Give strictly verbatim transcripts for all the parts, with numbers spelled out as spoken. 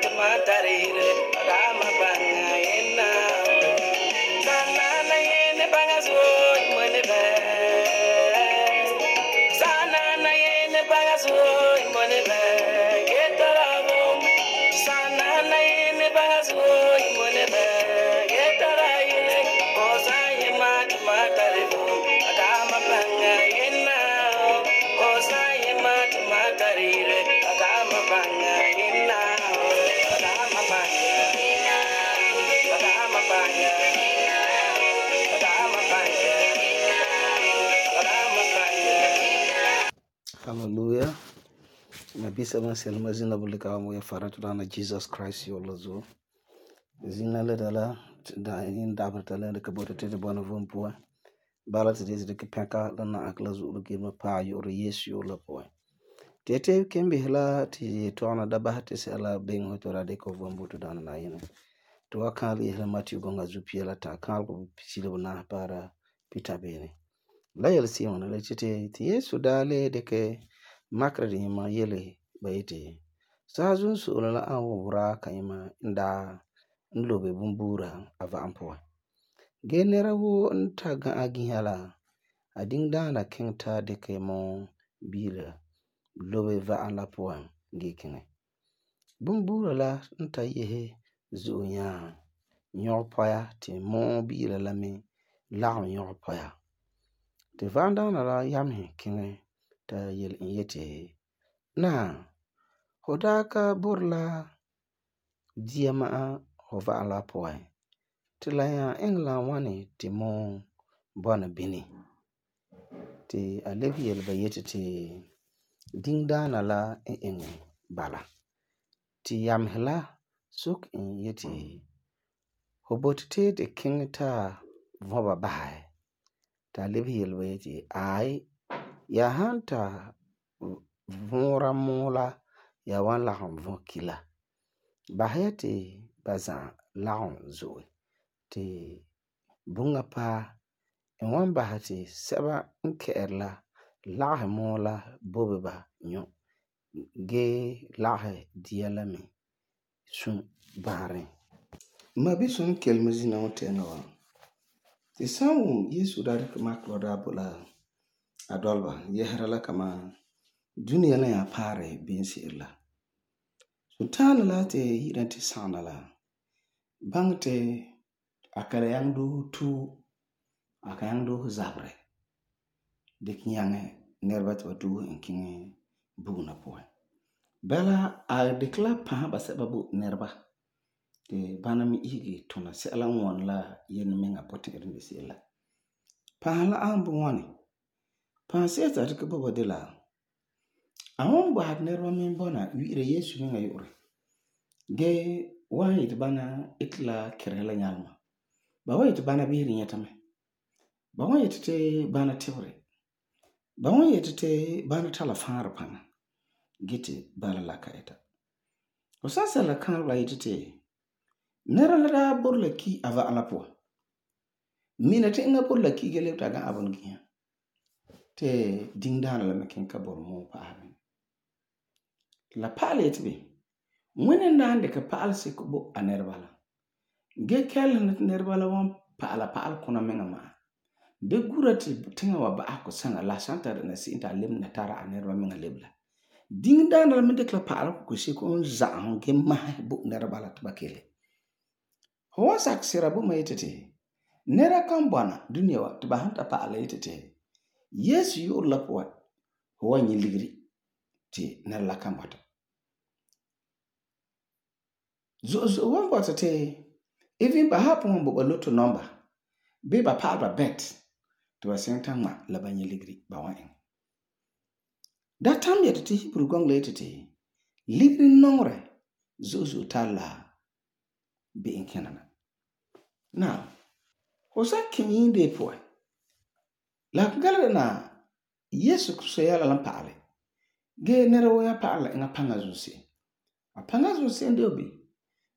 tumatarire adama banga ina sana na yene banga so mone be sana na yene banga so mone be getarabo sana na yene banga so mone be getaraile osaye ma tumatarire adama banga ina osaye ma tumatarire adama banga ina adama banga adama banga adama banga adama banga. Hallelujah. Nabi seven selma zina bulika mo ya faratu na Jesus Christ yo lazo. Zina le dala da in dabar tala da kabota te de bona von po. Bala te de ke peka da na akla zu lu ke ma pa yo re Yesu yo la po. Tete kembe hela ti to na da ba te sala ben hoto ra de ko von butu da na yene. To akali hela Matthew gonga zu piela ta kal ko pisile na para Peter bene. La yel si on le tete ti Yesu dale de ke makra de ma yele bayete sa zun su la an wura kayima nda nlobe bumbura ava ampoa genera wo nta ga agihala adin dana kenta de ke mo bila lobe va an la poa ngekene bumbura la nta yehe zunya nyopoya ti mo bila la me la nyopoya te vanda na la yamhe kene ta yel yete na hodaka burla diama hova ala poe tilaya engla wani timo bona bini ti alevi yel bayete ti dingdana la en bala ti yamhla suk en yete hobotte de kingta voba bai ta alevi yel bayete ai ya hanta vura mula ya wan lahum vokila bahayati baza lahum zo ti bunga pa en wan bahati seba nkerla lahe mula bobeba nyo ge lahe dialami sun bare mabi sun kelmezina wotena wa ti samu Yesu da rike maklo da bula adolba yehra la kama duniya na ya pare binsi illa sultana la te hiranti sana la bangte akara yang do tu aka yang do zabre de kinyange nerba to do en kin buguna po bela a dekla pa ba se babu nerba te banami igi tona se ala won la yen menga potin irin de sela pa la ambu woni pa se ta ke bobo de la awon ba had nerba men bona wiire Yesu menga yore ge wahi te bana itla kerela nyalma ba wahi te bana bihiri nyatame ba wahi te bana tewre ba wahi te bana tala fara pana gite bala laka eta o sasa la kan la yite nera la da borla ki ava ala po mina te nga borla ki gele ta ga abon giya te dingdana la makin ka bor mo pa amen la pale te be mwene nande ka paal se ko bo anerbala ge kel nerbala won paala paal kuna menga ma be gurati tinga wa ba ko sanga la santa na si inta lem na tara anerba menga lebla ding dana la mende kla paal ko se ko on za on ge ma bo nerbala tabakele ho sak sira bo maytete nera kan bwana duniya wa tba hanta paala yitete Yesu yu la po ho wanyi ligri ti ner la kan bata zo zo wan bata te even ba hapon bo loto number be ba pa ba bet to asenta ma la banyi ligri ba wan da tam yete te Hebrew gong letete ligri nongre zo zo tala be in kenana now hosa kinyi de po la gala na Yesu Kristo ya la paale ge nere wo ya paala nga panga zo se a panga zo se ndio bi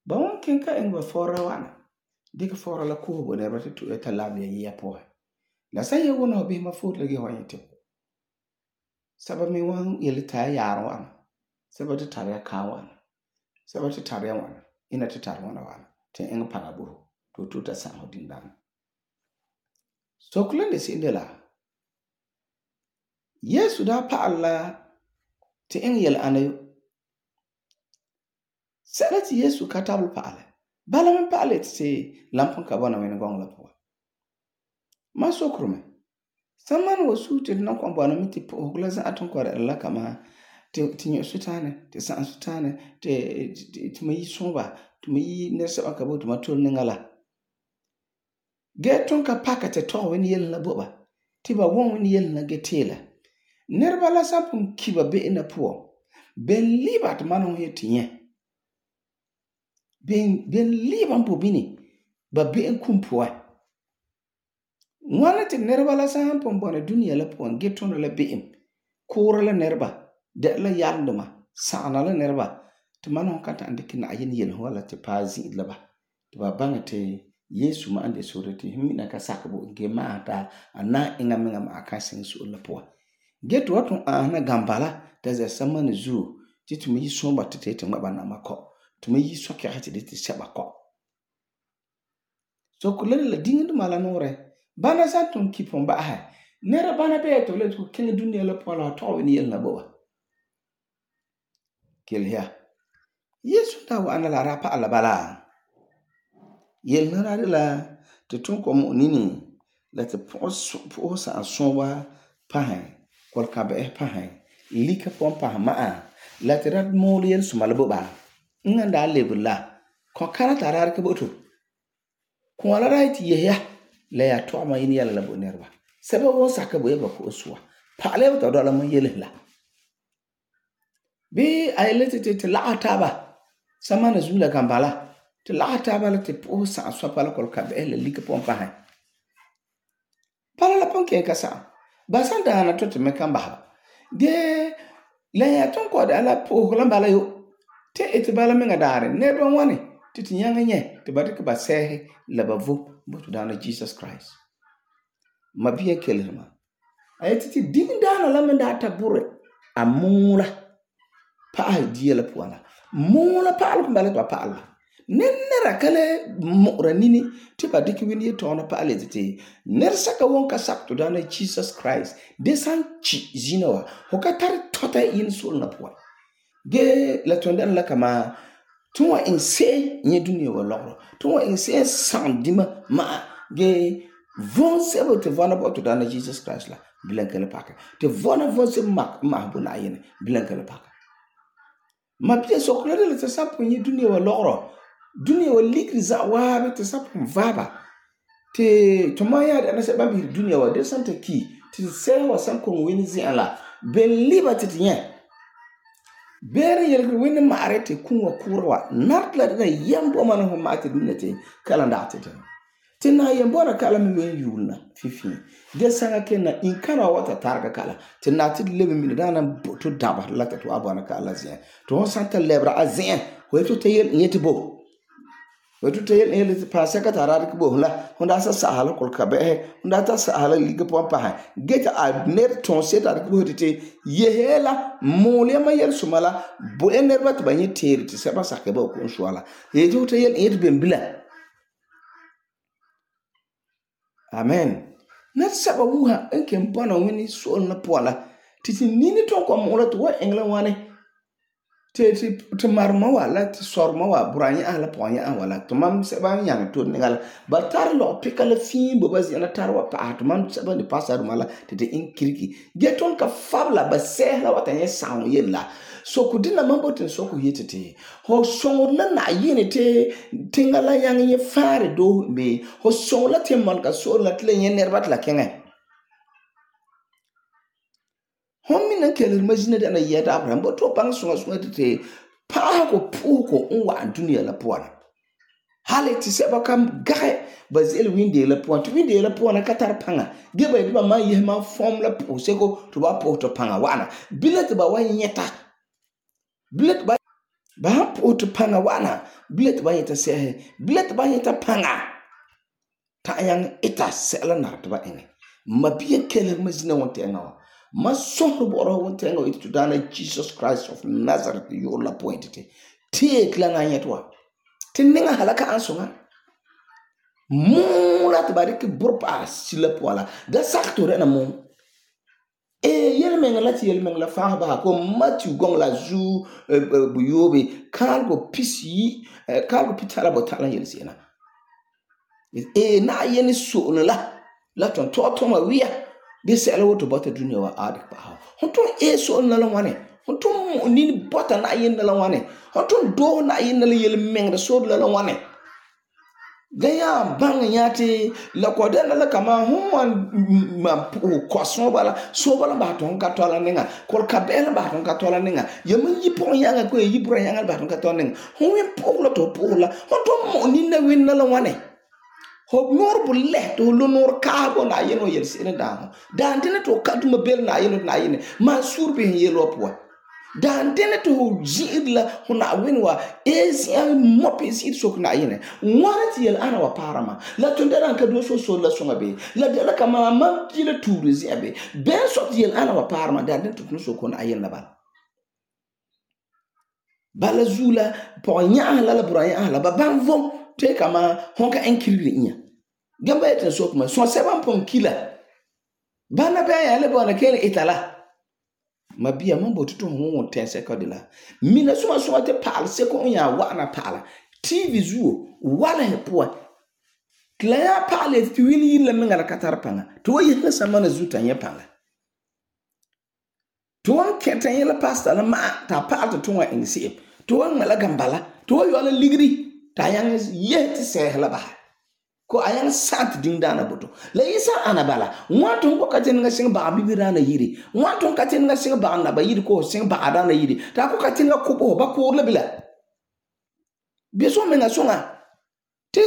ba won kenka en ba fora wana dik fora la ko bo ne ba tu eta la bi ya po la sa ye wona bi ma fot la ge wa yete saba mi wan yele ta yaro wana saba ta tare ka wana Sɛba te tare ya wana. Ina te tare wana wana. Te eŋa paŋa bo to to ta san ho din dan. So kulen de sinde la. Yesu da pa'al la te eŋa yel ana yo. Sɛla te Yesu ka tabel pa'ale. Bala man pa'ale te lampon ka bona wena gong la po. Ma sokro me. Saman wa su te nan kon bona mi te po la za aton ko la kama te te nyo sutane te san sutane te te me yi somba te me yi ne sa ka bo to ma tol ne ngala. Ge ton ka pakate to wen yel na boba. Ti ba won wen yel na getela. Nerba la sapun kiba be ina po. Ben libat manon he tinye. Ben ben liban po bini ba be en kumpoa. Wana te nerba la sapun bona dunia la po geton la be em. Kora la nerba de la yanduma sana la nerba te manon kata ande kina ayin yel wala te pazi la ba. Te ba banga te Yesu ma ande surati himina ka sakabo ge ma ta ana inga menga ma akasin su la po. Get what ana gambala there's a someone zoo to me somba to take ngaba na mako to me yi so ke hati de seba ko. So kulele la dinga mala nore bana sa ton kipon ba ha nera bana be to le to ken dunia la po la to ni yel na bo. Kel ya Yesu ta wa ana la rapa ala bala. Yel na la te ton ko mo nini la te po po sa sonwa pa ha kol ka be pa ha lika pon pa ma la te rat mo yel sumal bo ba nganda lebula ko kara tarar ke boto ko ala right ye ya la ya to ma yin yala la bo nerba sebe wo saka bo ba ko suwa pa le to do la mo yel la bi ay lete te la ataba samana zula kambala te la ataba la te po sa so pa la kol ka be la lika pon pa ha pala la pon ke ka sa basanda na to te me kamba de la ya ton ko da la po la bala yo te ete bala menga dare ne don wani titi nyanga nye te bade ke ba sehe la bavo botu dana Jesus Christ ma biye kelema ay titi ding dana la menda tabure amula pa ay die la poana mula pa al ko bala to pa Allah nenera kale mora nini te bade ke wini to na pa ale titi ner saka wonka sakto dana Jesus Christ de san chi zinawa hokatar tota in sul na poa ge la tondan la kama tuwa inse nye dunia wa loro tuwa inse san dima ma ge von sebo te vona bo to dana Jesus Christ la bilankele paka te vona von se mak ma bu na yene bilankele paka ma pia so klere le te sapo nye dunia wa loro dunia wa ligri za wa be te sapo vaba te tomaya da na se bambi dunia wa de sante ki te se wa san ko wini zi ala ben liberty tinya bere yelgri wini maarete kunwa kurwa nartla da yambo man ho mate dunete kala ndate te te na yambo na kala mi wen yulna fifi de sanga kenna in kana wata targa kala te na ti lebe mi dana to daba lata to abana kala zin to santa lebra azin ho to te yel nyete bo wetu te yel yel pa saka tarar ko bo la honda sa sahala kol ka be honda ta sahala liga po pa ha get a net ton set ar ko te yehela mole ma yel sumala bo enerbat ba ni teri te seba saka ba ko swala ye to te yel yet bembila amen net saba wuha enke mpana wini so na pola titi nini ton ko mo la to wa engla wane te te te marma wala te sorma wa buranya ala ponya wala to mam se ba nyang to ngal ba tar lo pikala fi bo ba zina tar wa pa to mam se ba ni pasar mala te te inkiriki geton ka fabla ba se la wata nye sawo yella so ku dina mambo ten so ku yetete ho so na na yini te tingala yang nye fare do be ho so la te man ka so la tle nye nerbat la kenga hommi nan kelir majina da na yeda Abraham bo to bang sunga sunga te pa ko pu ko unwa dunia la poana hale ti se ba kam gae bazel winde la poana to winde la poana katar panga ge ba ba ma ye ma form la po se ko to ba po to panga wana bilet ba wa nyeta bilet ba ba po to panga wana bilet ba yeta se bilet ba yeta panga ta yang ita se la na to ba ene ma biye kelir majina wonte ngawa ma sohro boro wonte ngo itu dana Jesus Christ of Nazareth yo la pointete Teek la na yet wa. Ti ninga halaka an songa. Mula te ba dikki burpa sila poala. Da sak to rena mo. E yel menga la ti yel menga la fa ba ko Matthew gong la zu bu yobe kal go pisi kal go pitala botala yel sena. E na yeni so la la ton to to ma wiya de sela woto bota dunia wa adik ba. Honton e so na la wane. Honton ni bota na yen na la wane. Honton do na yen na la yel menga so la la wane. Gaya bang yati la kodena la kama human ma kwason bala so bala ba ton ka tola ninga kol kabela ba ton ka tola ninga yemin yipon yanga ko yibura yanga ba ton ka tola ninga huwe poglo to pogla honton mo ni na win na la wane ho nor bu le to lo nor ka go na yeno yel sene da dan tene to ka dum bel na yeno na yene ma surbe yelo po dan tene to jidla huna winwa esi an mopi sit sok na yene warati yel ana wa parama la tundera ka do so so la songa be la de la kama mam kila turu ziabe ben so yel ana wa parama dan tene to so ko na yene la bal bala zula po nya la la braya la ba ban vom te kama honka enkiri nya gamba eten so kuma so seven pon kila bana ba ya le bona kele itala mabia mambo tutu hongo ten second la mina suma suma te pal se ko nya wa na pala tv zuo wala he po kla ya pale ti wini yilla menga la katar panga to ye na sama na zuta nya panga to an keten yela pastor la ma ta pal to wa ingsi to an mala gambala to yo la ligri ta yang ye ti se la ba ko ayang sat ding dana boto la isa anabala waton ko katen nga sing ba bibira na yiri waton katen nga sing ba na ba yiri ko sing ba ada na yiri ta ko katen nga ko ba ko la bila beso menga songa te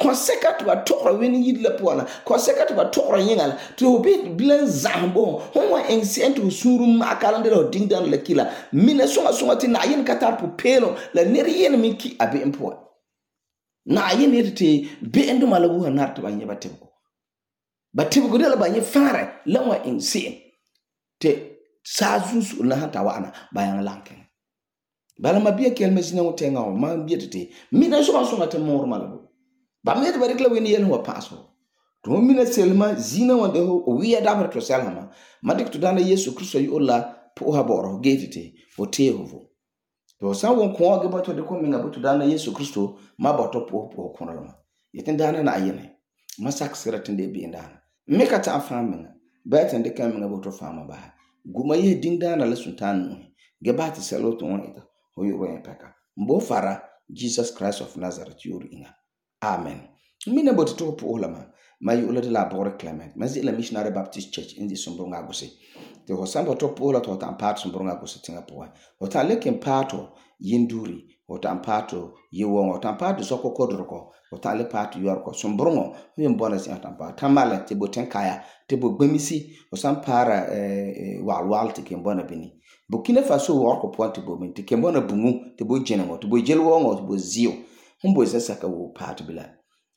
konsekat ba tokra weni yiri la pola konsekat ba tokra yingal to be bilan zambo honwa ensentu suru makalande ro ding dana la kila mina songa songa ti na yin katar pu pelo la neri yen min ki abe empo na yene te be endo malabu hanarta banye batibgo batibgo de la banye fara lawa inse te sazus na hata wana bayan lanken bala mabia kel mesina wotenga o ma bietete mina so so ngate mor malabu ba met barik la weni yelwa paso to mina selma zina wande ho o wiya dabar to selma madik to dana yesu kristo yi olla po ha boro getete o tehovo to san won ko ga bato de ko minga bato dana yesu kristo ma bato po po ko na yetin dana na ayene masak siratin de bi ndana me ka ta famin ba tan de kan minga bato fama ba guma ye din dana la sultan ge ba ta selo to won ita ho yo wen peka mbo fara Jesus Christ of Nazareth yuri inga amen mina bato to po lama ma yu la de la bore Clement ma zi la missionary baptist church in the Sombronga Gose te ho samba to pola to tan part Sombronga Gose tinga po ho ta leken pato yinduri ho tan pato yewon ho tan pato soko kodroko ho ta le pato yorko Sombrongo yin bona si tan pato tamala te boten kaya te bo gbemisi ho san para eh walwal te ken bona bini Burkina Faso worko point bo min te ken bona bungu te bo jenengo te bo jelwo ngo te bo zio humbo zesa ka wo pato bila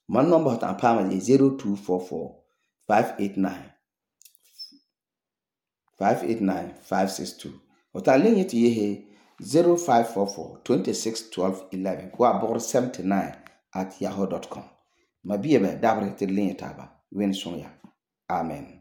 man number tan pama is zero two four four five eight nine five eight nine five six two. Ota lenye ti yehe zero five four four two six one two one one kwa bor seventy-nine at yahoo dot com. Mabiye be dabre te lenye taba wen son ya. Amen.